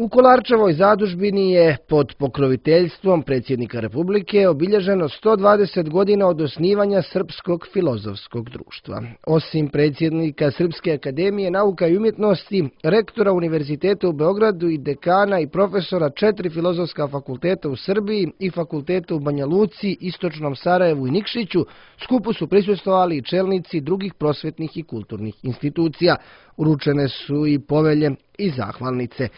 U Kolarčevoj zadužbini je pod pokroviteljstvom predsjednika Republike obilježeno 120 godina od osnivanja Srpskog filozofskog društva. Osim predsjednika Srpske akademije nauka i umjetnosti, rektora Univerziteta u Beogradu i dekana i profesora 4 filozofska fakulteta u Srbiji i fakulteta u Banja Luci, Istočnom Sarajevu i Nikšiću, skupu su prisustvovali i čelnici drugih prosvetnih i kulturnih institucija. Uručene su i povelje i zahvalnice.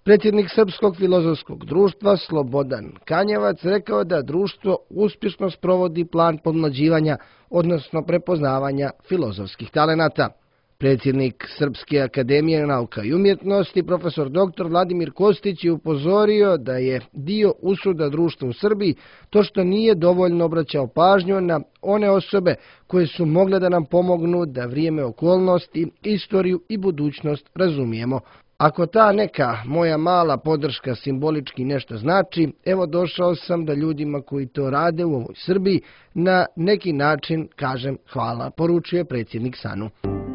Predsjednik Srpskog filozofskog društva Slobodan Kanjevac rekao da društvo uspješno sprovodi plan pomlađivanja, odnosno prepoznavanja filozofskih talenata. Predsjednik Srpske akademije nauka i umjetnosti, profesor dr. Vladimir Kostić, je upozorio da je dio usuda društva u Srbiji to što nije dovoljno obraćao pažnju na one osobe koje su mogle da nam pomognu da vrijeme, okolnosti, istoriju i budućnost razumijemo. Ako ta neka moja mala podrška simbolički nešto znači, evo došao sam da ljudima koji to rade u ovoj Srbiji na neki način kažem hvala, poručuje predsjednik SANU.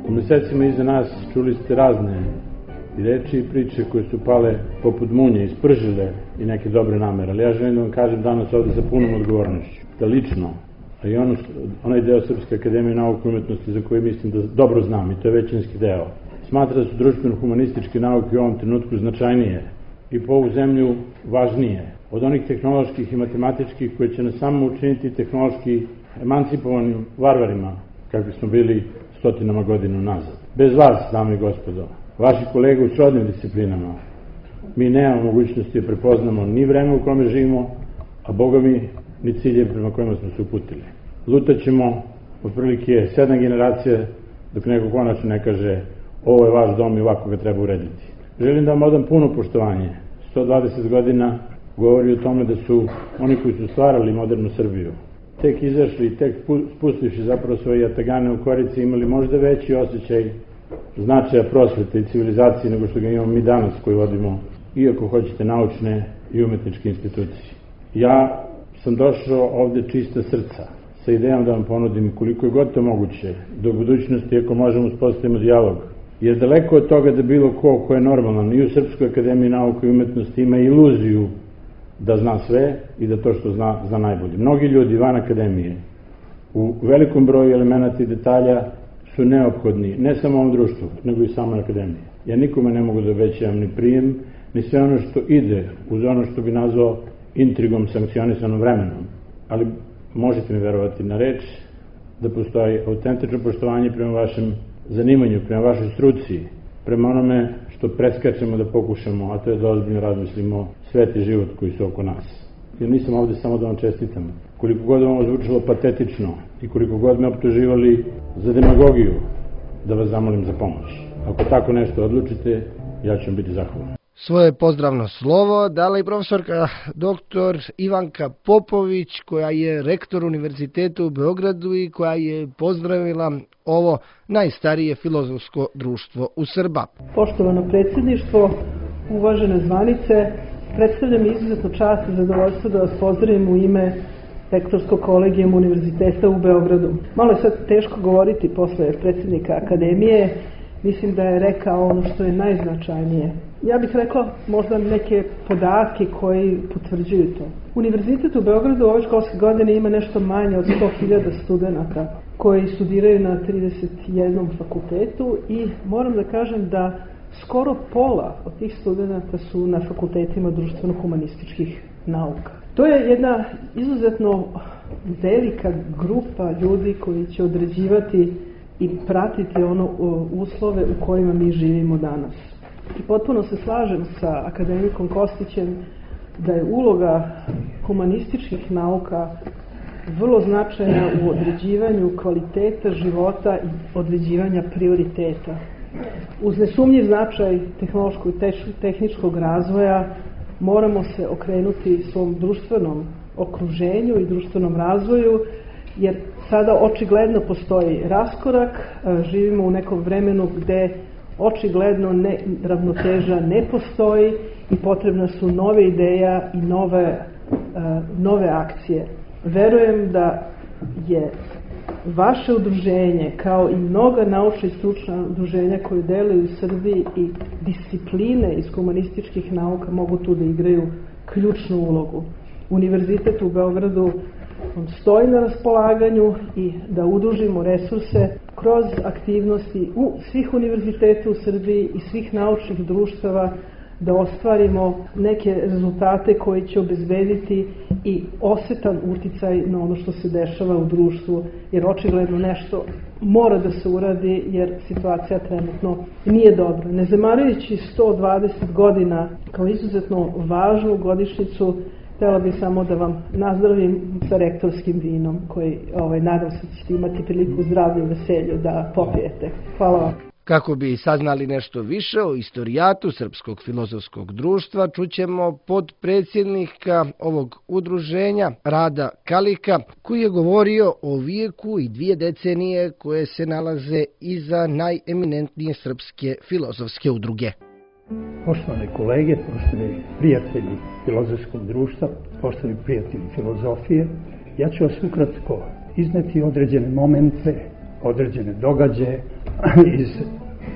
U mjesecima iza nas čuli ste razne reči i priče koje su pale poput munje, ispržile i neke dobre namere, ali ja želim da vam kažem danas ovdje sa punom odgovornošću, da lično, a i onaj deo Srpske akademije nauke i umjetnosti za koji mislim da dobro znam, i to je većinski deo, smatra da su društveno-humanističke nauke u ovom trenutku značajnije i po ovu zemlju važnije od onih tehnoloških i matematičkih koje će nas samo učiniti tehnološki emancipovanim varvarima, kakvi smo bili stotinama godina nazad. Bez vas, dame i gospodo, vaši kolege u srodnim disciplinama, mi nemamo mogućnosti da prepoznamo ni vreme u kome živimo, a Boga mi ni cilje prema kojima smo se uputili. Lutaćemo otprilike 7 generacija dok neko konačno ne kaže ovo je vaš dom i ovako ga treba urediti. Želim da vam odam puno poštovanje. 120 godina govori o tome da su oni koji su stvarali modernu Srbiju, tek izašli i tek spustivši zapravo svoje jatagane u korici, imali možda veći osjećaj značaja prosvete i civilizacije nego što ga imamo mi danas koji vodimo, iako hoćete, naučne i umetničke institucije. Ja sam došao ovde čista srca, sa idejom da vam ponudim koliko je god to moguće, do budućnosti ako možemo uspostavimo dijalog. Jer daleko od toga da bilo ko je normalan i u Srpskoj akademiji nauke i umjetnosti ima iluziju da zna sve i da to što zna najbolje. Mnogi ljudi van akademije u velikom broju elemenata i detalja su neophodni, ne samo ovom društvu, nego i samoj akademiji. Ja nikome ne mogu da obećavam ni prijem, ni sve ono što ide uz ono što bi nazvao intrigom sankcionisanom vremenom. Ali možete mi verovati na reč da postoji autentično poštovanje prema vašem zanimanju, prema vašoj struci, prema onome što preskačemo da pokušamo, a to je da ozbiljno razmislimo svet i život koji su oko nas. Jer nisam ovdje samo da vam čestitam. Koliko god vam zvučalo patetično i koliko god me optuživali za demagogiju, da vas zamolim za pomoć. Ako tako nešto odlučite, ja ću vam biti zahvalan. Svoje pozdravno slovo dala i profesorka dr. Ivanka Popović, koja je rektor Univerziteta u Beogradu i koja je pozdravila ovo najstarije filozofsko društvo u Srba. Poštovano predsjedništvo, uvažene zvanice, predstavljam izuzetno čast i zadovoljstvo da vas pozdravim u ime rektorskog kolegijuma Univerziteta u Beogradu. Malo je sad teško govoriti posle predsjednika akademije, mislim da je rekao ono što je najznačajnije. Ja bih rekla možda neke podatke koji potvrđuju to. Univerzitet u Beogradu ove školske godine ima nešto manje od 100.000 studenata koji studiraju na 31 fakultetu i moram da kažem da skoro pola od tih studenata su na fakultetima društveno-humanističkih nauka. To je jedna izuzetno velika grupa ljudi koji će određivati i pratiti uslove u kojima mi živimo danas. I potpuno se slažem sa akademikom Kostićem da je uloga humanističkih nauka vrlo značajna u određivanju kvaliteta života i određivanja prioriteta. Uz nesumnjiv značaj tehnološkog i tehničkog razvoja moramo se okrenuti svom društvenom okruženju i društvenom razvoju, jer sada očigledno postoji raskorak, živimo u nekom vremenu gde očigledno ravnoteža ne postoji i potrebna su nove ideja i nove akcije. Verujem da je vaše udruženje, kao i mnoga naučna i stručna udruženja koje deluju u Srbiji i discipline iz humanističkih nauka mogu tu da igraju ključnu ulogu. Univerzitet u Beogradu stoji na raspolaganju i da udružimo resurse kroz aktivnosti u svih univerziteta u Srbiji i svih naučnih društava, da ostvarimo neke rezultate koji će obezbediti i osetan uticaj na ono što se dešava u društvu, jer očigledno nešto mora da se uradi, jer situacija trenutno nije dobra. Ne zamarujući 120 godina kao izuzetno važnu godišnjicu, htjela bih samo da vam nazdravim sa rektorskim vinom, koji nadam se da ćete imati priliku zdravlju i veselju da popijete. Hvala vam. Kako bi saznali nešto više o istorijatu Srpskog filozofskog društva, čućemo podpredsjednika ovog udruženja Rada Kalika, koji je govorio o vijeku i 2 decenije koje se nalaze iza najeminentnije srpske filozofske udruge. Poštovane kolege, poštovani prijatelji filozofskog društva, poštovani prijatelji filozofije, ja ću vas ukratko izneti određene momente, određene događaje iz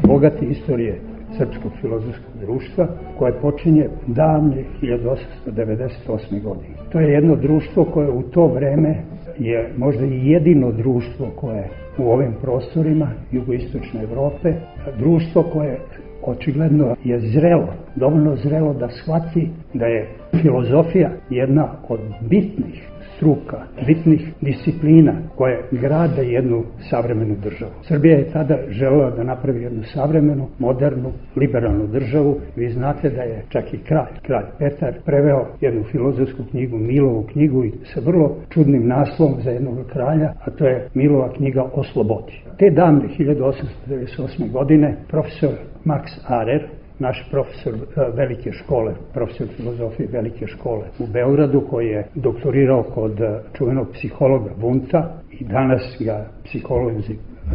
bogate istorije Srpskog filozofskog društva, koje počinje davne 1898. godine. To je jedno društvo koje u to vreme je možda i jedino društvo koje u ovim prostorima jugoistočne Evrope, društvo koje očigledno je zrelo, dovoljno zrelo da shvati da je filozofija jedna od bitnih struka, bitnih disciplina koje grade jednu savremenu državu. Srbija je tada želela da napravi jednu savremenu, modernu, liberalnu državu. Vi znate da je čak i kralj Petar, preveo jednu filozofsku knjigu, Milovu knjigu, i sa vrlo čudnim naslovom za jednog kralja, a to je Milova knjiga o slobodi. Te davne 1898. godine profesor Max Arer, naš profesor velike škole, profesor filozofije velike škole u Beogradu, koji je doktorirao kod čuvenog psihologa Wundta, i danas ga psiholozi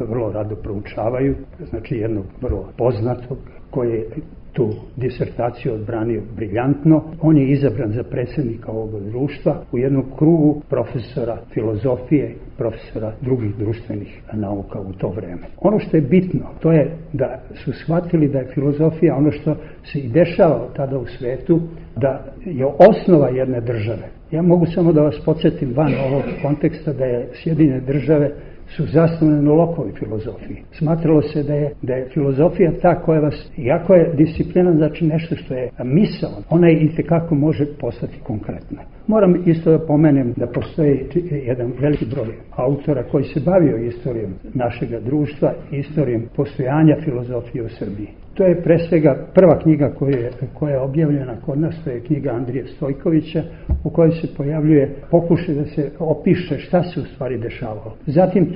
vrlo rado proučavaju, znači jednog vrlo poznatog koji je tu disertaciju odbranio briljantno. On je izabran za predsjednika ovog društva u jednom krugu profesora filozofije, profesora drugih društvenih nauka u to vreme. Ono što je bitno, to je da su shvatili da je filozofija ono što se i dešava tada u svetu, da je osnova jedne države. Ja mogu samo da vas podsjetim van ovog konteksta da je Sjedinjene Države su zasnovane na Lockeovoj filozofiji. Smatralo se da je filozofija ta koja vas, iako je disciplina, znači nešto što je misao, ona i itekako može postati konkretna. Moram isto da pomenem da postoji jedan veliki broj autora koji se bavio istorijom našeg društva, istorijom postojanja filozofije u Srbiji. To je pre svega prva knjiga koja je objavljena kod nas, to je knjiga Andrije Stojkovića, u kojoj se pojavljuje pokušaj da se opiše šta se u stvari dešavalo. Zatim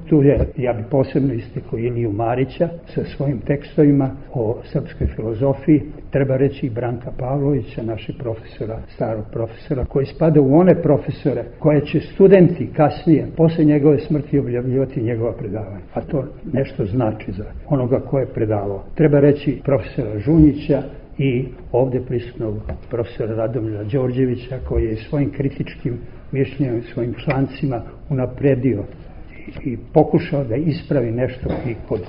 tu je, ja bi posebno istakao Iliju Marića sa svojim tekstovima o srpskoj filozofiji, treba reći i Branka Pavlovića, našeg profesora, starog profesora, koji spada u one profesore koje će studenti kasnije, posle njegove smrti, objavljivati njegova predavanja. A to nešto znači za onoga ko je predavao. Treba reći profesora Žunjića i ovdje prisutnog profesora Radomira Đorđevića, koji je svojim kritičkim mišljenjem, svojim člancima unapredio i pokušao da ispravi nešto i kod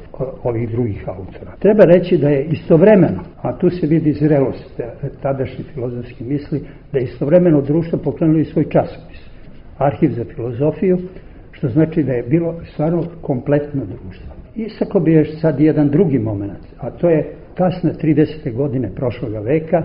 ovih drugih autora. Treba reći da je istovremeno, a tu se vidi zrelost tadašnje filozofske misli, da je istovremeno društvo pokrenulo i svoj časopis, Arhiv za filozofiju, što znači da je bilo stvarno kompletno društvo. Istakao bi još sad jedan drugi moment, a to je kasne 30. godine prošloga veka,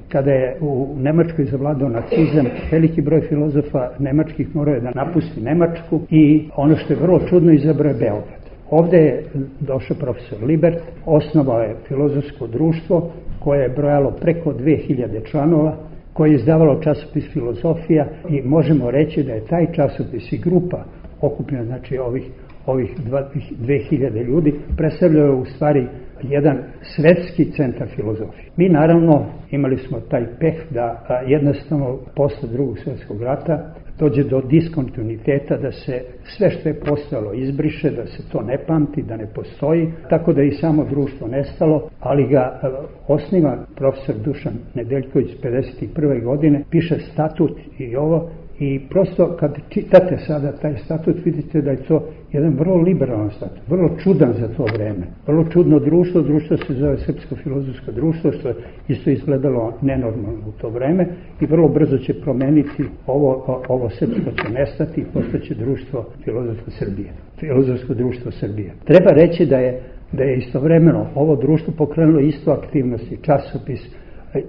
kada je u Nemačkoj zavladao nacizam, veliki broj filozofa nemačkih morao je da napusti Nemačku i ono što je vrlo čudno, izabrao je Beograd. Ovdje je došao profesor Libert, osnovao je filozofsko društvo koje je brojalo preko 2000 članova, koje je izdavalo časopis Filozofija, i možemo reći da je taj časopis i grupa okupljena, znači ovih 2000 ljudi, predstavljaju u stvari jedan svetski centar filozofije. Mi naravno imali smo taj peh da jednostavno posle Drugog svjetskog rata dođe do diskontinuiteta, da se sve što je postojalo izbriše, da se to ne pamti, da ne postoji, tako da je i samo društvo nestalo, ali ga osniva profesor Dušan Nedeljković 51. godine, piše statut i ovo, I prosto kad čitate sada taj statut vidite da je to jedan vrlo liberalan statut, vrlo čudan za to vreme. Vrlo čudno društvo se zove Srpsko filozofsko društvo, što je isto izgledalo nenormalno u to vreme i vrlo brzo će promeniti ovo srpsko će nestati i postaće društvo filozofsko društvo Srbije. Treba reći da je istovremeno ovo društvo pokrenulo isto aktivnosti, časopis,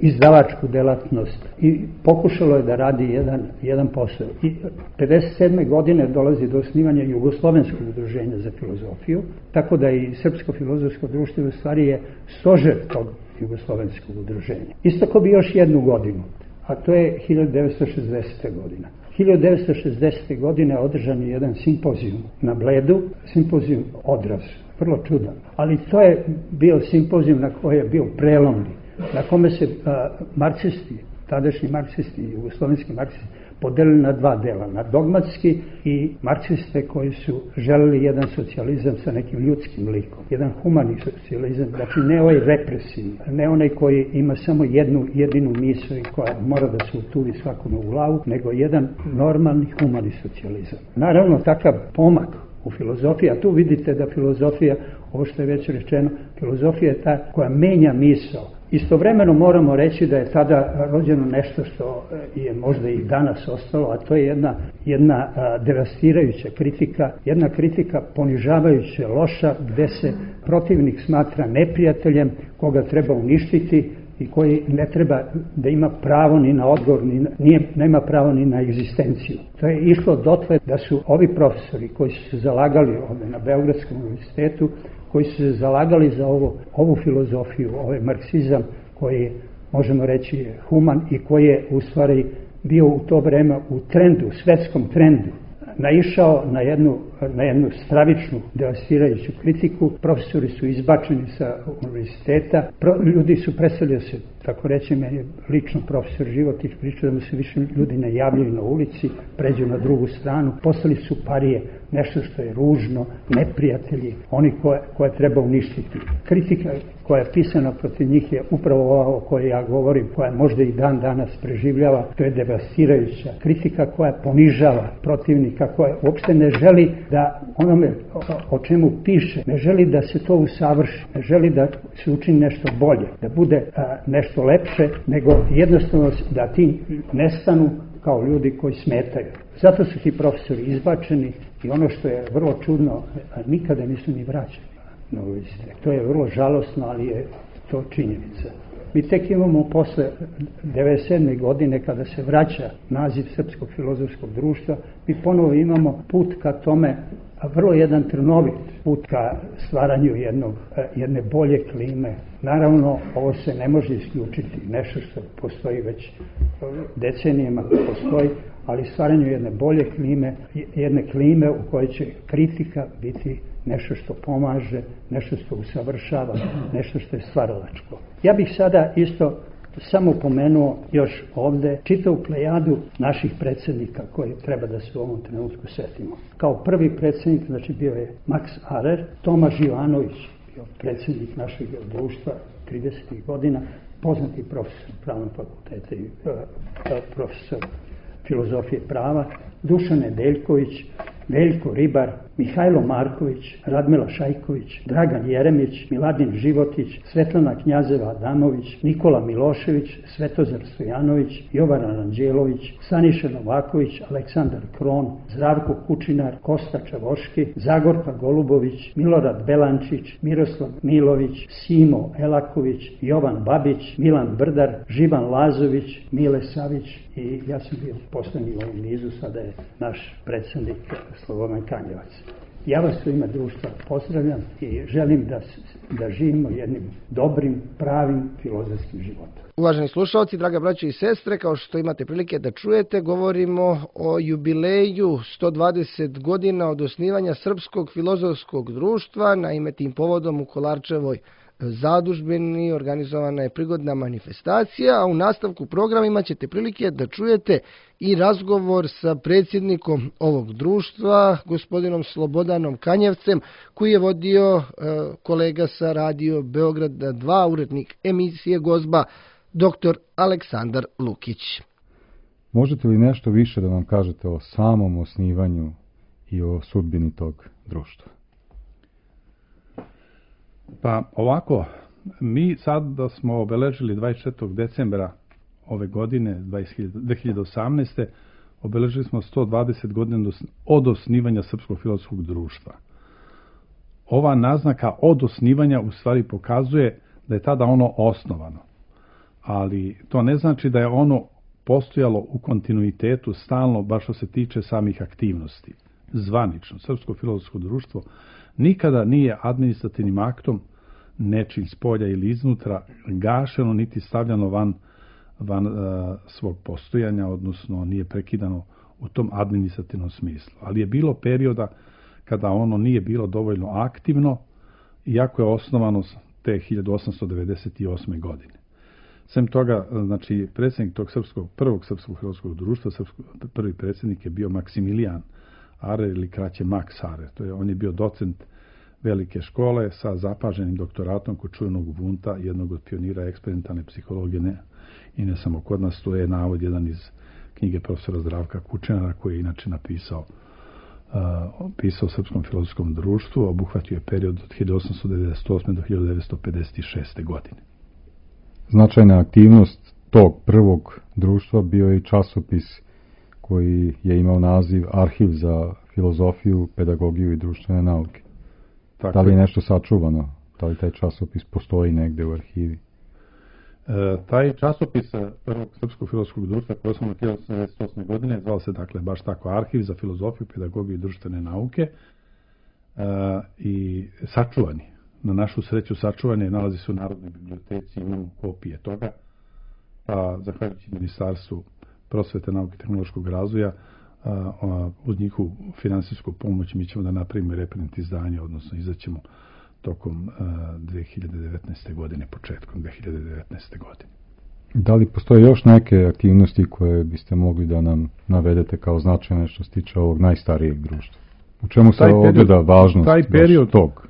izdavačku delatnost i pokušalo je da radi jedan posao. I 57. godine dolazi do osnivanja Jugoslovenskog udruženja za filozofiju, tako da i Srpsko filozofsko društvo u stvari je stožer tog Jugoslovenskog udruženja. Istako bi još jednu godinu, a to je 1960. godina. 1960. godine održan je jedan simpozijum na Bledu, simpozijum Odraz, vrlo čudan, ali to je bio simpozijum na koji je bio prelomni, na kome se marksisti, tadašnji marksisti, jugoslovenski marksisti, podelili na dva dela, na dogmatski i marksiste koji su želeli jedan socijalizam sa nekim ljudskim likom, jedan humani socijalizam, znači ne ovaj represivni, ne onaj koji ima samo jedinu misao i koja mora da se utuvi svakome u glavu, nego jedan normalni humani socijalizam. Naravno, takav pomak u filozofiji, a tu vidite da filozofija, ovo što je već rečeno, filozofija je ta koja menja misao. Istovremeno moramo reći da je tada rođeno nešto što je možda i danas ostalo, a to je jedna devastirajuća kritika, jedna kritika ponižavajuća, loša, gde se protivnik smatra neprijateljem, koga treba uništiti i koji ne treba da ima pravo ni na odgovor, nema pravo ni na egzistenciju. To je išlo dotle da su ovi profesori koji su se zalagali ovdje na Beogradskom univerzitetu, koji su se zalagali za ovu filozofiju, ovaj marksizam koji možemo reći je human i koji je u stvari bio u to vreme u trendu, svetskom trendu, naišao na jednu stravičnu, devastirajuću kritiku. Profesori su izbačeni sa univerziteta, ljudi su prestali da se, tako reći, meni je lično profesor Životić pričao da mu se više ljudi ne javljaju na ulici, pređu na drugu stranu, postali su parije, nešto što je ružno, neprijatelji, oni koje treba uništiti. Kritika koja je pisana protiv njih je upravo ova o kojoj ja govorim, koja možda i dan danas preživljava, to je devastirajuća kritika koja ponižava protivnika, koja uopšte ne želi da onome o čemu piše, ne želi da se to usavrši, ne želi da se učini nešto bolje, da bude nešto lepše, nego jednostavno da ti nestanu kao ljudi koji smetaju. Zato su ti profesori izbačeni i ono što je vrlo čudno, nikada nisu ni vraćani na univerzitet. To je vrlo žalosno, ali je to činjenica. Mi tek imamo posle 1997. godine kada se vraća naziv Srpskog filozofskog društva, mi ponovo imamo put ka tome, vrlo jedan trnovit put ka stvaranju jedne bolje klime. Naravno, ovo se ne može isključiti, nešto što postoji već decenijama postoji, ali stvaranju jedne bolje klime, jedne klime u kojoj će kritika biti nešto što pomaže, nešto što usavršava, nešto što je stvaralačko. Ja bih sada isto samo pomenuo još ovde čitavu plejadu naših predsjednika koji treba da se u ovom trenutku setimo. Kao prvi predsjednik, znači bio je Max Arer, Toma Živanović, bio predsjednik našeg društva 30. godina, poznati profesor pravnog fakulteta i profesor filozofije prava, Dušan Nedeljković, Veljko Ribar, Mihajlo Marković, Radmila Šajković, Dragan Jeremić, Miladin Životić, Svetlana Knjazeva-Adamović, Nikola Milošević, Svetozar Stojanović, Jovan Aranđelović, Saniša Novaković, Aleksandar Kron, Zdravko Kučinar, Kosta Čavoški, Zagorka Golubović, Milorad Belančić, Miroslav Milović, Simo Elaković, Jovan Babić, Milan Brdar, Živan Lazović, Mile Savić i ja sam bio poslednji u ovom nizu, sada je naš predsjednik Slobodan Kanjevac. Ja vas u ime društva pozdravljam i želim da živimo jednim dobrim, pravim filozofskim životom. Uvaženi slušalci, draga braćo i sestre, kao što imate prilike da čujete, govorimo o jubileju 120 godina od osnivanja Srpskog filozofskog društva. Naime, tim povodom u Kolarčevoj zadužbini organizovana je prigodna manifestacija, a u nastavku programa ćete prilike da čujete i razgovor sa predsjednikom ovog društva, gospodinom Slobodanom Kanjevcem, koji je vodio kolega sa Radio Beograda 2, urednik emisije Gozba, dr. Aleksandar Lukić. Možete li nešto više da nam kažete o samom osnivanju i o sudbini tog društva? Pa ovako, mi sad da smo obeležili 24. decembra ove godine, 2018. obeležili smo 120 godina od osnivanja Srpskog filozofskog društva. Ova naznaka od osnivanja u stvari pokazuje da je tada ono osnovano. Ali to ne znači da je ono postojalo u kontinuitetu stalno, baš što se tiče samih aktivnosti. Zvanično, Srpsko filozofsko društvo nikada nije administrativnim aktom nečim s polja ili iznutra gašeno niti stavljano van svog postojanja, odnosno nije prekidano u tom administrativnom smislu. Ali je bilo perioda kada ono nije bilo dovoljno aktivno, iako je osnovano te 1898. godine. Sem toga, znači, predsjednik tog prvog Srpskog filozofskog društva, prvi predsjednik je bio Maksimilijan Arer ili kraće Max Arer. On je bio docent velike škole sa zapaženim doktoratom kod čuvenog Wundta, jednog od pionira eksperimentalne psihologije, i ne samo kod nas, to je navod jedan iz knjige profesora Zdravka Kučenara, koji je inače napisao o Srpskom filozofskom društvu, obuhvatio je period od 1898. do 1956. godine. Značajna aktivnost tog prvog društva bio je i časopis koji je imao naziv Arhiv za filozofiju, pedagogiju i društvene nauke. Da li je nešto sačuvano? Da li taj časopis postoji negde u arhivi? Taj časopis prvog Srpskog filozofskog društva koji je osnovan 1998. godine zvao se dakle baš tako Arhiv za filozofiju, pedagogiju i društvene nauke i sačuvani. Na našu sreću sačuvane nalazi se u Narodnoj biblioteci, imamo kopije toga. Zahvaljujući Ministarstvu prosvete, nauke i tehnološkog razvoja, uz njihovu finansijsku pomoć mi ćemo da napravimo reprint izdanje, odnosno izaćemo tokom 2019. godine, početkom 2019. godine. Da li postoje još neke aktivnosti koje biste mogli da nam navedete kao značajne što se tiče ovog najstarijeg društva? U čemu se ogleda važnost tog?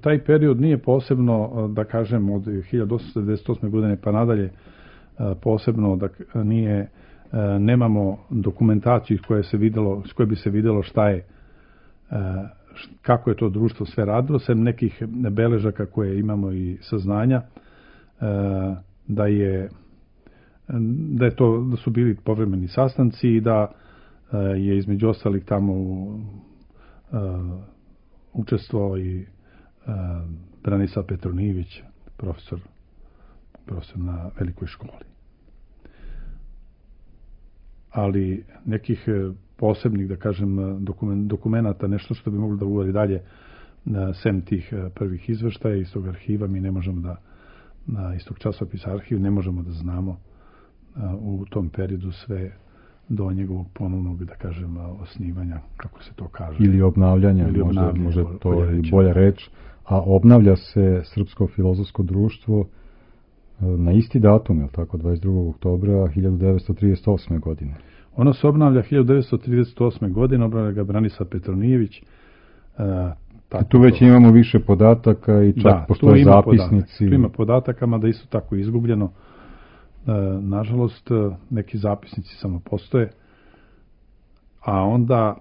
Taj period nije posebno, da kažem, od 1898. godine pa nadalje, posebno da nije, nemamo dokumentaciju s koje bi se vidjelo šta je, kako je to društvo sve radilo, sem nekih beležaka koje imamo i saznanja, da su bili povremeni sastanci i da je između ostalih tamo učestvovao i Branislav Petronijević, profesor na velikoj školi. Ali nekih posebnih, da kažem, dokumenata, nešto što bi moglo da uvodi dalje, sem tih prvih izveštaja iz tog arhiva, mi ne možemo iz tog časopisa Arhiv, ne možemo da znamo u tom periodu sve do njegovog ponovnog, da kažem, osnivanja, kako se to kaže. Ili obnavljanja, može to i bolja reč. A obnavlja se Srpsko filozofsko društvo na isti datum, je li tako, 22. oktobra 1938. godine? Ono se obnavlja 1938. godine, obnavlja ga Branislav Petronijević. Tu već imamo više podataka i čak postoje zapisnici. Tu ima podataka, mada isto tako izgubljeno. Nažalost, neki zapisnici samo postoje. A onda,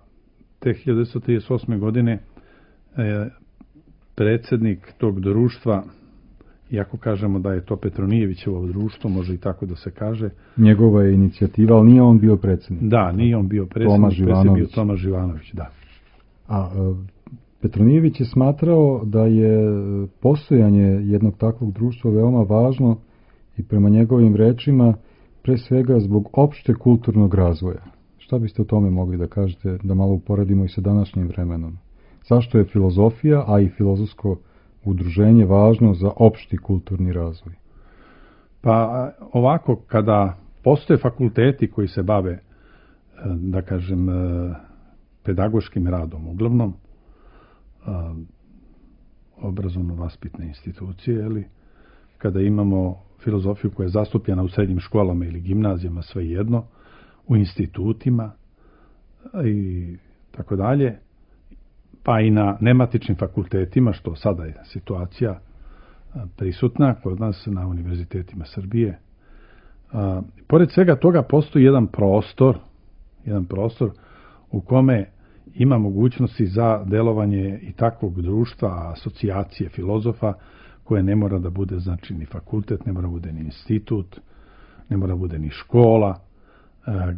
te 1938. godine, predsjednik tog društva, iako kažemo da je to Petronijevićevo društvo, može i tako da se kaže. Njegova je inicijativa, ali nije on bio predsjednik. Da, nije on bio predsjednik, predsjednik je bio Toma Živanović, da. A Petronijević je smatrao da je postojanje jednog takvog društva veoma važno i prema njegovim rečima pre svega zbog opšte kulturnog razvoja. Šta biste o tome mogli da kažete, da malo uporedimo i sa današnjim vremenom? Zašto je filozofija, a i filozofsko udruženje važno za opšti kulturni razvoj? Pa ovako, kada postoje fakulteti koji se bave, da kažem, pedagoškim radom, uglavnom obrazovno-vaspitne institucije, kada imamo filozofiju koja je zastupljena u srednjim školama ili gimnazijama, svejedno, u institutima i tako dalje, pa i na nematičnim fakultetima, što sada je situacija prisutna kod nas na univerzitetima Srbije, Pored svega toga postoji jedan prostor u kome ima mogućnosti za delovanje i takvog društva, asocijacije filozofa, koje ne mora da bude znači ni fakultet, ne mora da bude ni institut, ne mora da bude ni škola,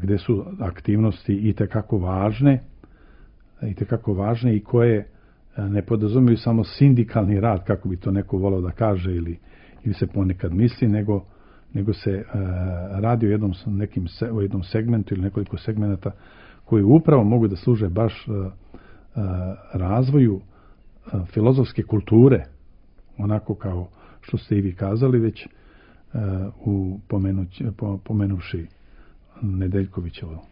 gde su aktivnosti itekako važne i koje ne podrazumiju samo sindikalni rad, kako bi to neko volao da kaže ili se ponekad misli, nego se radi o jednom segmentu ili nekoliko segmenata koji upravo mogu da služe baš razvoju filozofske kulture, onako kao što ste i vi kazali već pomenuvši Nedeljkovićevo,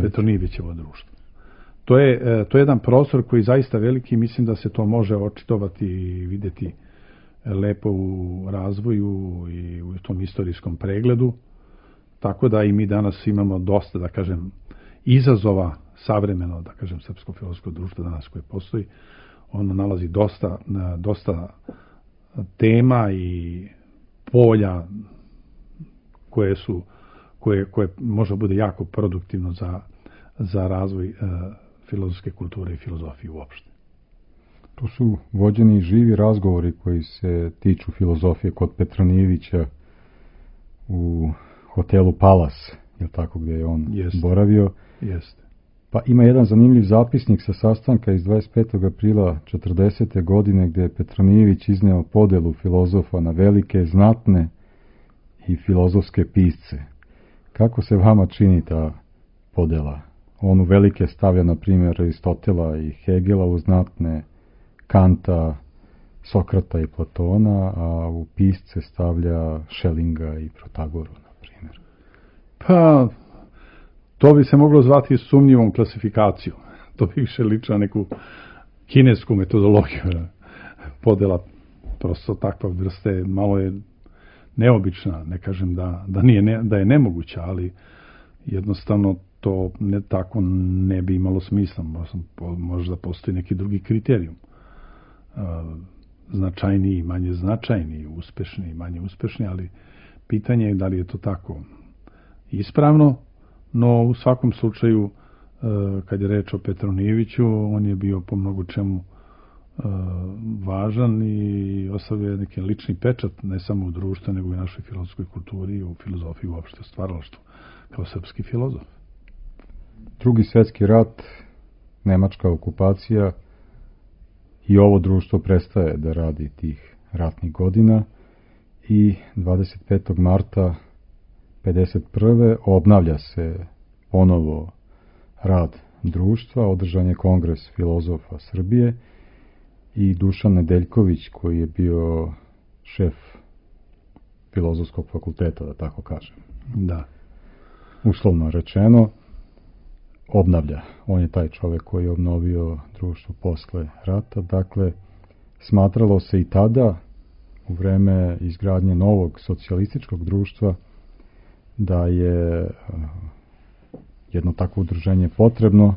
Petronijevićevo društvo. To je jedan prostor koji je zaista veliki i mislim da se to može očitovati i vidjeti lepo u razvoju i u tom istorijskom pregledu. Tako da i mi danas imamo dosta, da kažem, izazova savremeno, da kažem, srpsko filozofsko društvo danas koje postoji. Ono nalazi dosta tema i polja koje može bude jako produktivno za razvoj filozofske kulture i filozofije uopšte. Tu su vođeni živi razgovori koji se tiču filozofije kod Petronijevića u hotelu Palas, je tako, gdje je on boravio. Jeste. Pa ima jedan zanimljiv zapisnik sa sastanka iz 25. aprila 40. godine gdje je Petronijević izneo podelu filozofa na velike, znatne i filozofske pisce. Kako se vama čini ta podela? On u velike stavlja, na primjer, Aristotela i Hegela, u znatne Kanta, Sokrata i Platona, a u pisce stavlja Schellinga i Protagoru, na primjer. Pa, to bi se moglo zvati sumnjivom klasifikacijom. To bi više liči na neku kinesku metodologiju. Podela prosto takva vrste malo je neobična. Ne kažem da je nemoguća, ali jednostavno to tako ne bi imalo smisla. Možda postoji neki drugi kriterijum. Značajniji, manje značajniji, uspešni, manje uspešni, ali pitanje je da li je to tako ispravno, no u svakom slučaju kad je reč o Petronijeviću, on je bio po mnogo čemu važan i ostavio neki lični pečat ne samo u društvu, nego i našoj filozofskoj kulturi i u filozofiji uopšte, u stvaralaštvu, kao srpski filozof. Drugi svjetski rat, nemačka okupacija, i ovo društvo prestaje da radi tih ratnih godina i 25. marta 1951. obnavlja se ponovo rad društva, održan je Kongres filozofa Srbije i Dušan Nedeljković, koji je bio šef filozofskog fakulteta, da tako kažem. Da. Uslovno rečeno, obnavlja. On je taj čovjek koji je obnovio društvo posle rata. Dakle, smatralo se i tada, u vreme izgradnje novog socijalističkog društva, da je jedno takvo udruženje potrebno.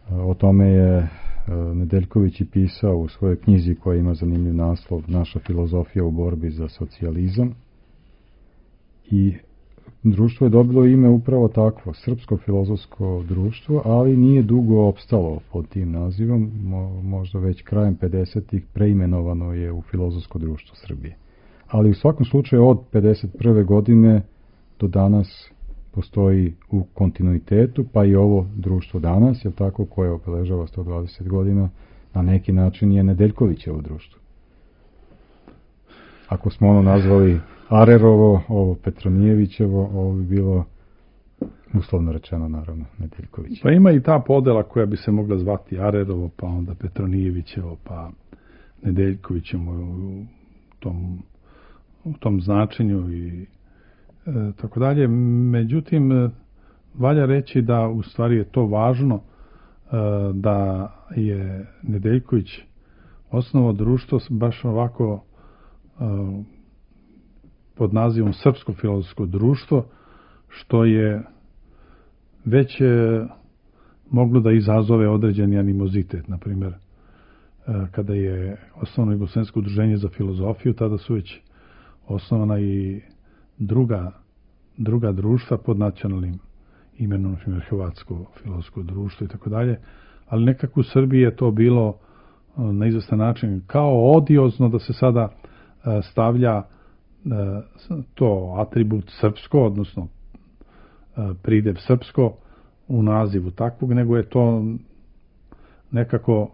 O tome je Nedeljković i pisao u svojoj knjizi koja ima zanimljiv naslov Naša filozofija u borbi za socijalizam. I društvo je dobilo ime upravo takvo, Srpsko filozofsko društvo, ali nije dugo opstalo pod tim nazivom, možda već krajem 50-ih preimenovano je u Filozofsko društvo Srbije. Ali u svakom slučaju od 51. godine do danas postoji u kontinuitetu, pa i ovo društvo danas, je tako, koje obeležava 120 godina, na neki način je Nedeljkovićevo društvo. Ako smo ono nazvali Arerovo, ovo Petronijevićevo, ovo bi bilo, uslovno rečeno, naravno, Nedeljković. Pa ima i ta podela koja bi se mogla zvati Arerovo, pa onda Petronijevićevo, pa Nedeljkovićevo u tom značenju i tako dalje. Međutim, valja reći da u stvari je to važno da je Nedeljković osnovao društvo baš ovako pod nazivom Srpsko filozofsko društvo, što je već moglo da izazove određeni animozitet. Naprimjer, kada je osnovano Jugoslovensko udruženje za filozofiju, tada su već osnovana i druga društva pod nacionalnim imenom, na Hrvatsko filozofsko društvo i tako dalje, ali nekako u Srbiji je to bilo na izvestan način kao odiozno da se sada stavlja to atribut srpsko, odnosno pridev srpsko u nazivu takvog, nego je to nekako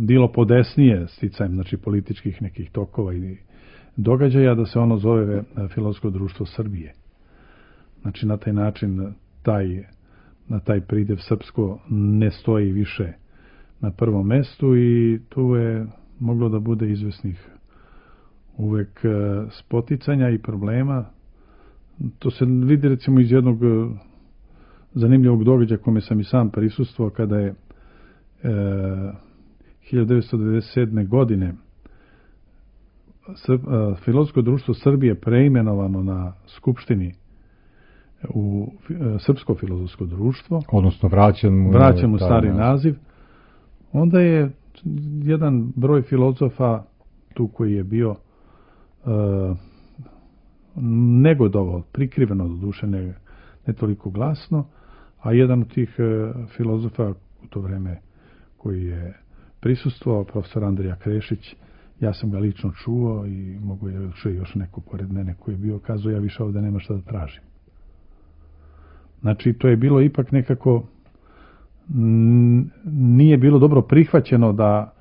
bilo podesnije sticajem, znači političkih nekih tokova i događaja, da se ono zove Filozofsko društvo Srbije. Znači na taj način taj pridev srpsko ne stoji više na prvom mestu i tu je moglo da bude izvesnih uvek spoticanja i problema. To se vidi recimo iz jednog zanimljivog događaja kome sam i sam prisustvovao, kada je 1997. godine Filozofsko društvo Srbije preimenovano na Skupštini u Srpsko filozofsko društvo, odnosno vraćan mu stari naziv. Onda je jedan broj filozofa tu koji je bio negodovao, prikriveno do duše, ne toliko glasno, a jedan od tih filozofa u to vreme koji je prisustvovao, profesor Andrija Krešić, ja sam ga lično čuo i mogu je čuo još neko pored mene koji je bio, kazao, ja više ovde nema šta da tražim. Znači, to je bilo ipak nekako, nije bilo dobro prihvaćeno da,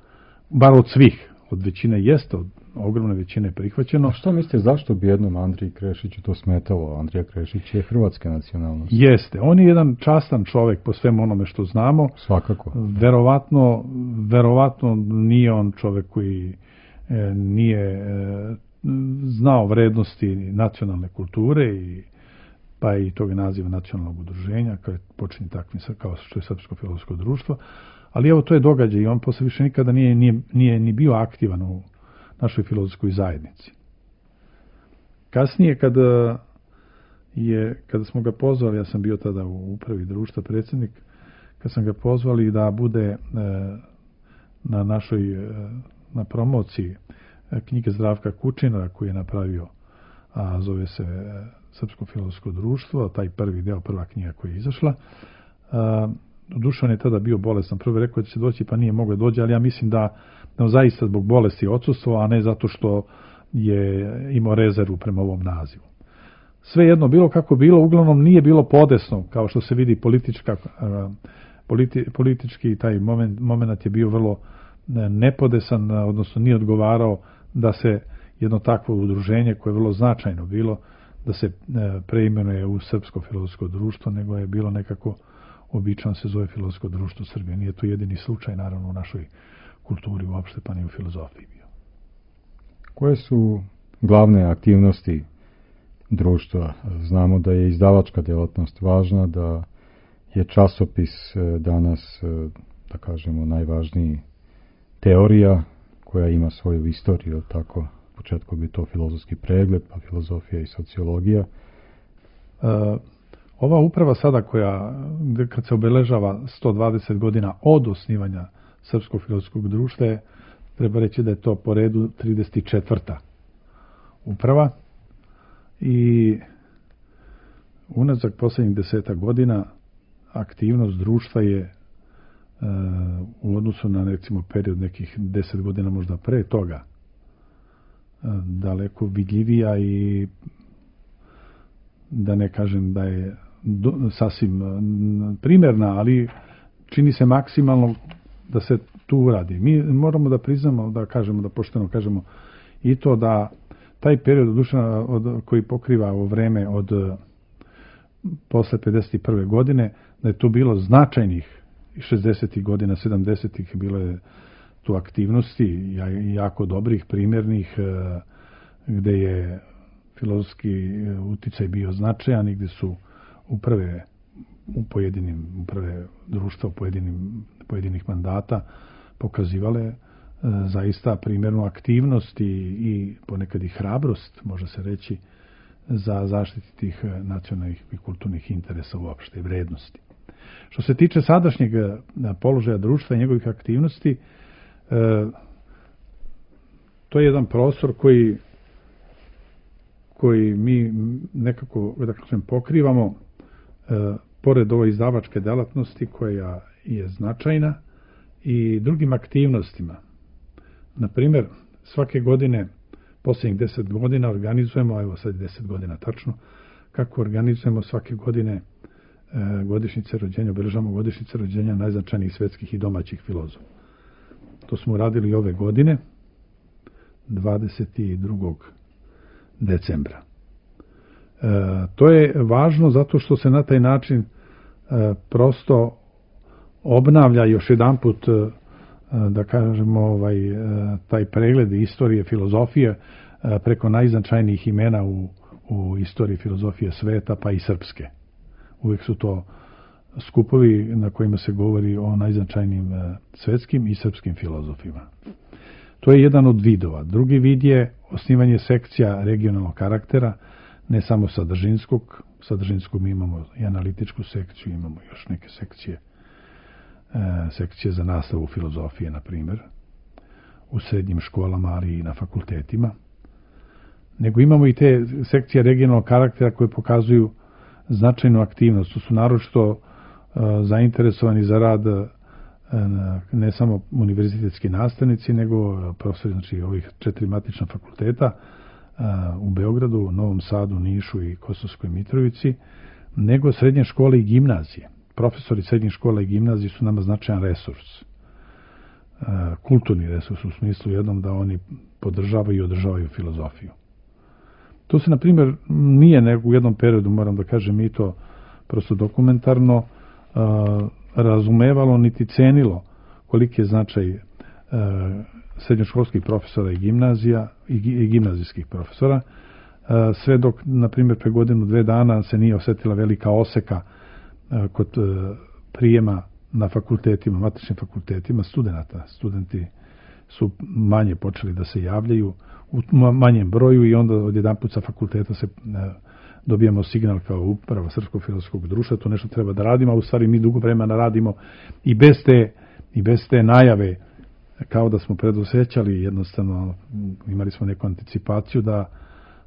bar od svih, od većine jeste, od ogromne većine prihvaćeno. A što mislite, zašto bi jednom Andriji Krešiću to smetalo? Andrija Krešić je hrvatska nacionalnost. Jeste, on je jedan častan čovek po svemu onome što znamo. Svakako. Verovatno nije on čovek koji nije znao vrednosti nacionalne kulture pa i tog naziva nacionalnog udruženja, kao je počinje takvim kao što je Srpsko filozofsko društvo, ali evo to je događaj i on posle više nikada nije ni bio aktivan u našoj filozofskoj zajednici. Kasnije kada smo ga pozvali, ja sam bio tada u upravi društva predsjednik, kad sam ga pozvali da bude na promociji knjige Zdravka Kučina koju je napravio, a zove se Srpsko filozofsko društvo, taj prvi deo, prva knjiga koja je izašla. Doduše on je tada bio bolestan. Prvo je rekao da će doći, pa nije mogao dođe, ali ja mislim da zaista zbog bolesti odsustvo, a ne zato što je imao rezervu prema ovom nazivu. Svejedno, bilo kako bilo, uglavnom nije bilo podesno, kao što se vidi politički taj moment je bio vrlo nepodesan, odnosno nije odgovarao da se jedno takvo udruženje koje je vrlo značajno bilo, da se preimenuje u Srpsko filozofsko društvo, nego je bilo nekako obično se zove Filozofsko društvo Srbije. Nije to jedini slučaj, naravno, u našoj kulturi uopšte, pa ni u filozofiji bio. Koje su glavne aktivnosti društva? Znamo da je izdavačka djelatnost važna, da je časopis danas, da kažemo, najvažniji teorija koja ima svoju istoriju, tako u početku bi to filozofski pregled, pa filozofija i sociologija. Ova uprava sada kad se obeležava 120 godina od osnivanja Srpskog filozofskog društva, treba reći da je to po redu 34. uprava i unazak posljednjih 10 godina aktivnost društva je u odnosu na recimo period nekih 10 godina možda pre toga daleko vidljivija i da ne kažem da je sasvim primjerna, ali čini se maksimalno da se tu uradi. Mi moramo da priznamo, da pošteno kažemo i to da taj period koji pokriva ovo vreme od posle 51. godine, da je tu bilo značajnih 60. godina, 70. bilo je tu aktivnosti jako dobrih, primjernih, gde je filozofski uticaj bio značajan i gde su uprave društva u pojedinih mandata pokazivale zaista primjernu aktivnost i ponekad i hrabrost, može se reći, za zaštiti tih nacionalnih i kulturnih interesa uopšte i vrednosti. Što se tiče sadašnjeg položaja društva i njegovih aktivnosti, to je jedan prostor koji mi nekako, da kažem, pokrivamo, pored ove izdavačke delatnosti koja je značajna, i drugim aktivnostima. Na primjer, svake godine, posljednjih 10 godina organizujemo, evo sad 10 godina tačno, kako organizujemo svake godine godišnjice rođenja, obeležavamo godišnjice rođenja najznačajnijih svetskih i domaćih filozofa. To smo uradili ove godine, 22. decembra. To je važno zato što se na taj način prosto obnavlja još jedanput, da kažemo, taj pregled istorije filozofije preko najznačajnijih imena u istoriji filozofije sveta, pa i srpske. Uvijek su to skupovi na kojima se govori o najznačajnijim svetskim i srpskim filozofima. To je jedan od vidova. Drugi vid je osnivanje sekcija regionalnog karaktera, ne samo sadržinskog. Sadržinskog mi imamo i analitičku sekciju, imamo još neke sekcije za nastavu filozofije, na primjer, u srednjim školama, ali i na fakultetima. Nego imamo i te sekcije regionalnog karaktera koje pokazuju značajnu aktivnost. To su naročito zainteresovani za rad ne samo univerzitetski nastavnici, nego profesori, znači ovih 4 matična fakulteta u Beogradu, Novom Sadu, Nišu i Kosovskoj Mitrovici, nego srednje škole i gimnazije. Profesori srednjih škola i gimnazije su nama značajan resurs. Kulturni resurs u smislu jednom da oni podržavaju i održavaju filozofiju. To se, na primjer, nije u jednom periodu, moram da kažem, i to prosto dokumentarno razumevalo niti cenilo koliki je značaj srednjoškolskih profesora i gimnazija i gimnazijskih profesora, sve dok, na primjer, pre godinu, 2 dana se nije osjetila velika oseka kod prijema na fakultetima, matičnim fakultetima studenata. Studenti su manje počeli da se javljaju u manjem broju i onda odjedanput sa fakulteta se dobijamo signal kao uprava Srpskog filozofskog društva, to nešto treba da radimo, a u stvari mi dugo vremena radimo i bez te najave, kao da smo predosećali, jednostavno imali smo neku anticipaciju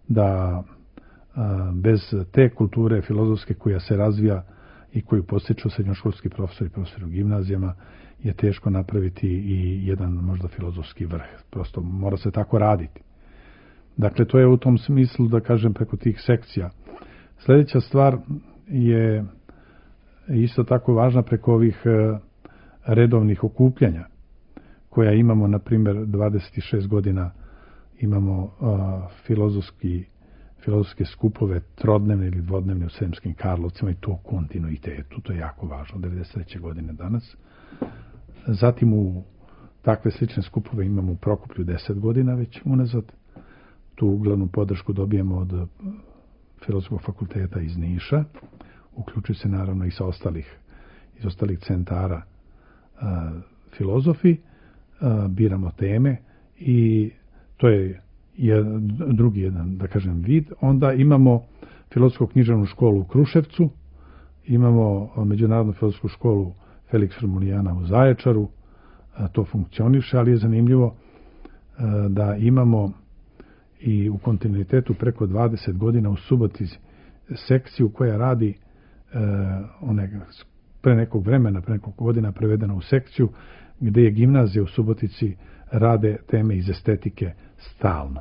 da bez te kulture filozofske koja se razvija i koju postiču srednjoškolski profesori i profesori u gimnazijama, je teško napraviti i jedan možda filozofski vrh. Prosto mora se tako raditi. Dakle, to je u tom smislu, da kažem, preko tih sekcija. Sljedeća stvar je isto tako važna preko ovih redovnih okupljanja koja imamo, na primjer, 26 godina imamo filozofske skupove trodnevne ili dvodnevne u Sremskim Karlovcima i to u kontinuitetu. To je jako važno, 93. godine danas. Zatim u takve slične skupove imamo u Prokuplju 10 godina već unazad. Tu uglavnom podršku dobijemo od Filozofskog fakulteta iz Niša. Uključuju se naravno i iz ostalih centara filozofi. Biramo teme i to je drugi jedan, da kažem, vid. Onda imamo Filozofsku književnu školu u Kruševcu, imamo Međunarodnu filozofsku školu Felix Romulijana u Zaječaru, to funkcioniše, ali je zanimljivo da imamo i u kontinuitetu preko 20 godina u Subotici sekciju koja radi pre nekog vremena, pre nekog godina prevedena u sekciju gdje je gimnazija u Subotici rade teme iz estetike stalno.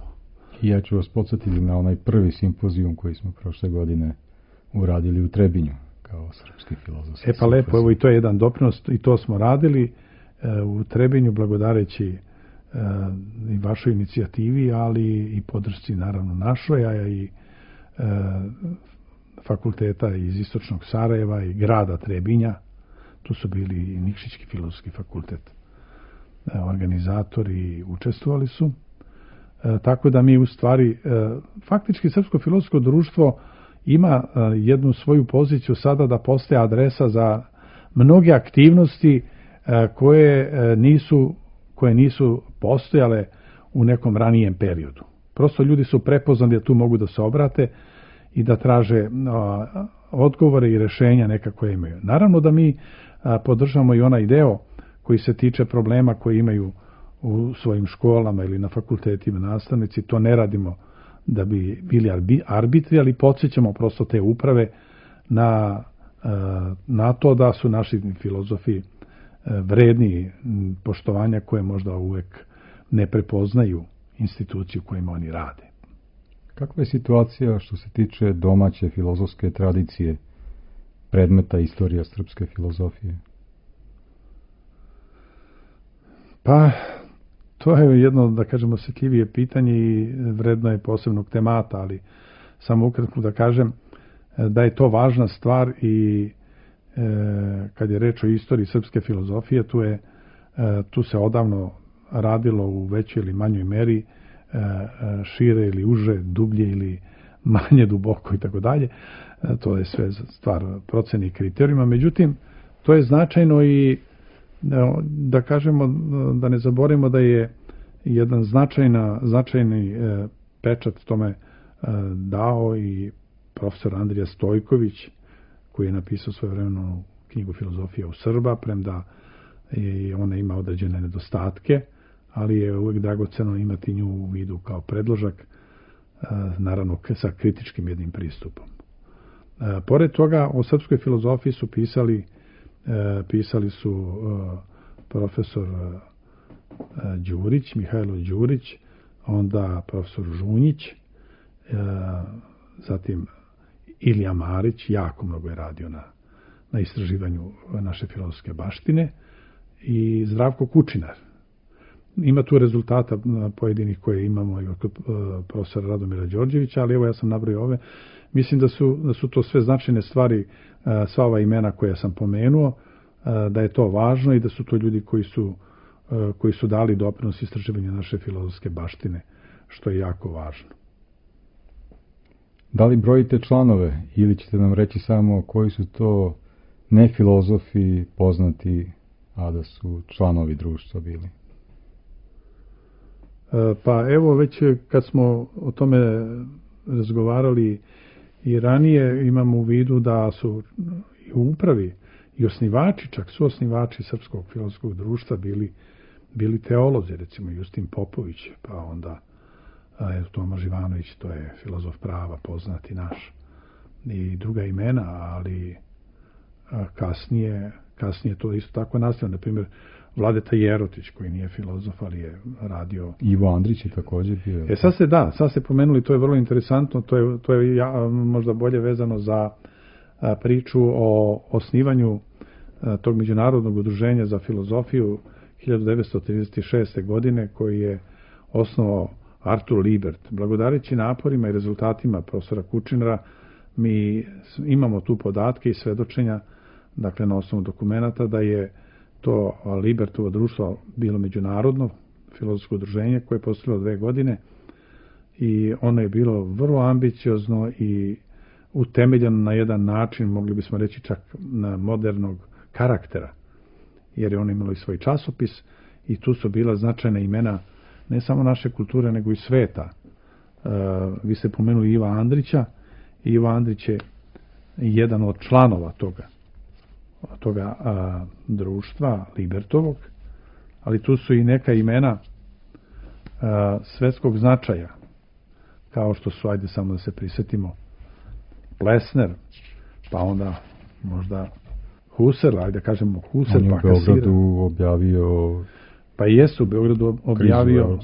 I ja ću vas podsjetiti na onaj prvi simpozijum koji smo prošle godine uradili u Trebinju kao srpski filozofski. Pa lepo, evo i to je jedan doprinos i to smo radili u Trebinju blagodareći i vašoj inicijativi, ali i podršci naravno našoj, a i fakulteta iz Istočnog Sarajeva i grada Trebinja. Tu su bili i Nikšićki filozofski fakultet. Organizatori i učestvovali su. Tako da mi u stvari, faktički Srpsko filozofsko društvo ima jednu svoju poziciju sada da postaje adresa za mnoge aktivnosti koje nisu postojale u nekom ranijem periodu. Prosto ljudi su prepoznali da tu mogu da se obrate i da traže odgovore i rješenja neka koje imaju. Naravno da mi podržamo i onaj deo koji se tiče problema koje imaju u svojim školama ili na fakultetima nastavnici. To ne radimo da bi bili arbitri, ali podsjećamo prosto te uprave na to da su naši filozofi vredni poštovanja koje možda uvek ne prepoznaju instituciju kojima oni rade. Kakva je situacija što se tiče domaće filozofske tradicije, predmeta istorija srpske filozofije? Pa, to je jedno, da kažemo, osetljivije pitanje i vredno je posebnog temata, ali samo ukratko da kažem da je to važna stvar i kad je reč o istoriji srpske filozofije, tu se odavno radilo u većoj ili manjoj meri, šire ili uže, dublje ili manje duboko i tako dalje. To je sve stvar procene i kriterijuma. Međutim, to je značajno i da kažemo, da ne zaboravimo da je jedan značajni pečat tome dao i profesor Andrija Stojković, koji je napisao svojevremenu knjigu Filozofija u Srba, premda ona ima određene nedostatke, ali je uvek dragoceno imati nju u vidu kao predložak, naravno sa kritičkim jednim pristupom. Pored toga, o srpskoj filozofiji su pisali su profesor Đurić, Mihajlo Đurić, onda profesor Žunjić, zatim Ilija Marić, jako mnogo je radio na istraživanju naše filozofske baštine, i Zdravko Kučinar. Ima tu rezultata pojedinih koje imamo i od profesora Radomira Đorđevića, ali evo ja sam nabrojio ove. Mislim da su to sve značajne stvari, sva ova imena koje sam pomenuo, da je to važno i da su to ljudi koji su dali doprinos istraživanju naše filozofske baštine, što je jako važno. Da li brojite članove ili ćete nam reći samo koji su to nefilozofi poznati, a da su članovi društva bili? Pa evo, već kad smo o tome razgovarali i ranije, imamo u vidu da su i u upravi i osnivači, čak su osnivači Srpskog filozofskog društva bili teolozi, recimo Justin Popović, pa onda Toma Živanović, to je filozof prava, poznati naš, i druga imena, ali kasnije to isto tako nastavio. Na primjer, Vladeta Jerotić, koji nije filozof, ali je radio... Ivo Andrić je također bio. Sad ste pomenuli, to je vrlo interesantno, to je možda bolje vezano za priču o osnivanju tog međunarodnog udruženja za filozofiju 1936. godine, koji je osnovao Artur Libert. Blagodareći naporima i rezultatima profesora Kučinara, mi imamo tu podatke i svedočenja, dakle na osnovu dokumenata, da je to Libertovo društvo bilo međunarodno filozofsko udruženje koje je postojalo 2 godine i ono je bilo vrlo ambiciozno i utemeljeno na jedan način, mogli bismo reći čak na modernog karaktera, jer je ono imalo i svoj časopis i tu su bila značajna imena ne samo naše kulture, nego i sveta. Vi ste pomenuli Iva Andrića. Ivo Andrić je jedan od članova toga društva Libertovog, ali tu su i neka imena svetskog značaja, kao što su, ajde samo da se prisjetimo, Plesner, pa onda možda Husserl, ajde kažemo Husserl, pa Kasirer. On je u Beogradu objavio... Pa jeste u Beogradu objavio...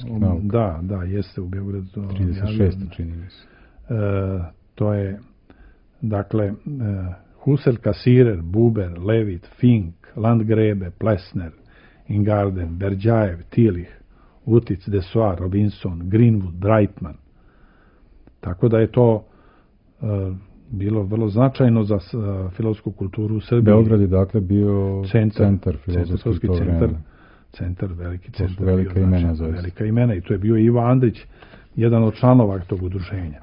Da, jeste u Beogradu objavio. 36. čini mi se. To je, dakle, Husserl, Kasirer, Buber, Levitt, Fink, Landgrebe, Plesner, Ingarden, Berdjajev, Tillich, Utic, Desoir, Robinson, Greenwood, Brightman. Tako da je to bilo vrlo značajno za filozofsku kulturu u Srbiji. Beograd je dakle bio centar filozofski to vreme. Veliki centar. To su velika imena zaista. Velika imena i to je bio Ivo Andrić, jedan od članova tog udruženja.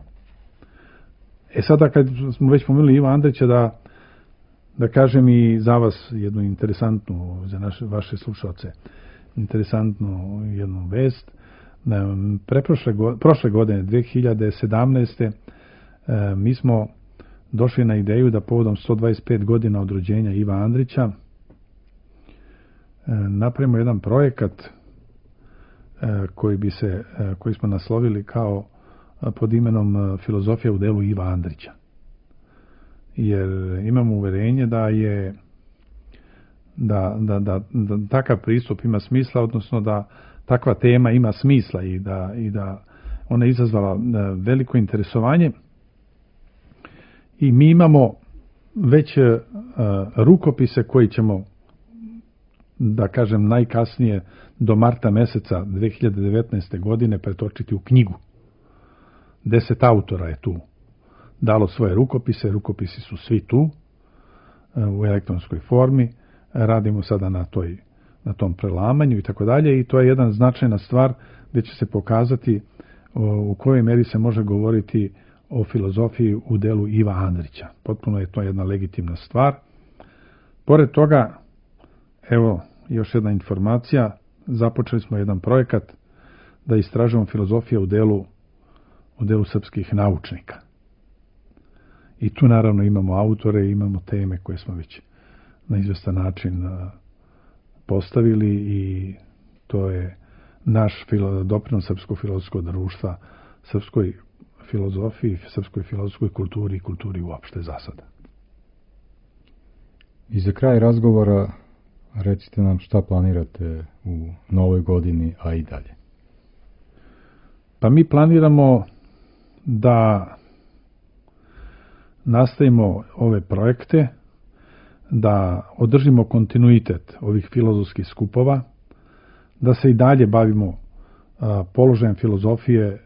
Sada kad smo već pomenuli Iva Andrića, da kažem i za vas jednu interesantnu, za vaše slušalce, interesantnu jednu vest. Prošle godine, 2017. Mi smo došli na ideju da povodom 125 godina od rođenja Iva Andrića napravimo jedan projekat koji smo naslovili kao pod imenom Filozofija u delu Iva Andrića. Jer imamo uverenje da takav pristup ima smisla, odnosno da takva tema ima smisla i da ona je izazvala veliko interesovanje. I mi imamo već rukopise koji ćemo, da kažem, najkasnije do marta meseca 2019. godine pretočiti u knjigu. 10 autora je tu dalo svoje rukopise, rukopisi su svi tu u elektronskoj formi, radimo sada na tom prelamanju i tako dalje, i to je jedna značajna stvar gdje će se pokazati u kojoj meri se može govoriti o filozofiji u delu Iva Andrića. Potpuno je to jedna legitimna stvar. Pored toga, evo još jedna informacija, započeli smo jedan projekat da istražujemo filozofiju u delu srpskih naučnika. I tu naravno imamo autore, imamo teme koje smo već na izvestan način postavili i to je naš doprinos Srpskog filozofskog društva, srpskoj filozofiji, srpskoj filozofskoj kulturi i kulturi uopšte za sada. I za kraj razgovora recite nam šta planirate u novoj godini, a i dalje. Pa mi planiramo da nastavimo ove projekte, da održimo kontinuitet ovih filozofskih skupova, da se i dalje bavimo položajem filozofije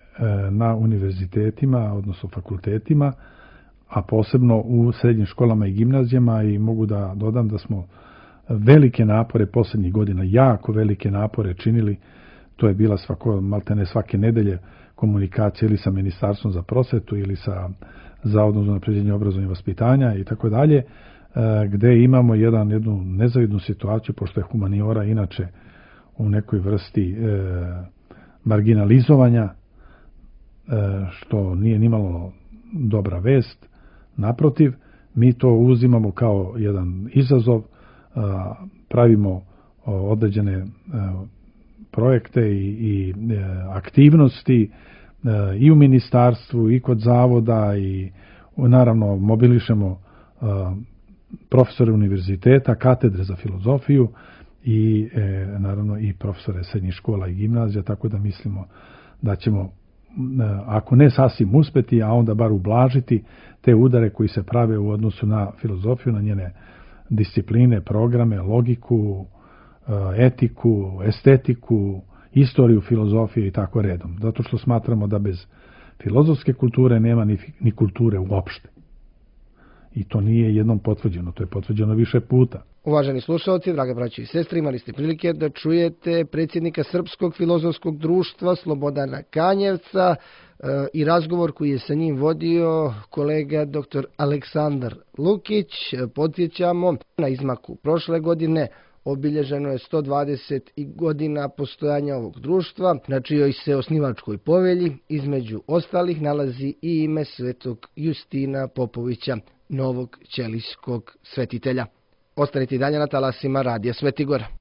na univerzitetima, odnosno fakultetima, a posebno u srednjim školama i gimnazijama, i mogu da dodam da smo velike napore posljednjih godina, jako velike napore činili. To je bila maltene svake nedelje komunikacija ili sa Ministarstvom za prosvetu ili sa Zavodom za unapređenje obrazovanja i vaspitanja i tako dalje, gde imamo jednu nezavidnu situaciju, pošto je humaniora inače u nekoj vrsti marginalizovanja, što nije nimalo dobra vest. Naprotiv, mi to uzimamo kao jedan izazov, pravimo određene projekte i aktivnosti i u ministarstvu i kod zavoda, i naravno mobilišemo profesore univerziteta, katedre za filozofiju i naravno i profesore srednjih škola i gimnazija, tako da mislimo da ćemo, ako ne sasvim uspeti, a onda bar ublažiti te udare koji se prave u odnosu na filozofiju, na njene discipline, programe, logiku, etiku, estetiku, istoriju filozofije i tako redom. Zato što smatramo da bez filozofske kulture nema ni kulture uopšte. I to nije jednom potvrđeno, to je potvrđeno više puta. Uvaženi slušalci, drage braće i sestre, imali ste prilike da čujete predsjednika Srpskog filozofskog društva Slobodana Kanjevca i razgovor koji je sa njim vodio kolega dr. Aleksandar Lukić. Podsjećamo, na izmaku prošle godine obilježeno je 120 godina postojanja ovog društva, na čijoj se osnivačkoj povelji između ostalih nalazi i ime svetog Justina Popovića, novog ćelijskog svetitelja. Ostanite i dalje na talasima Radija Svetigora.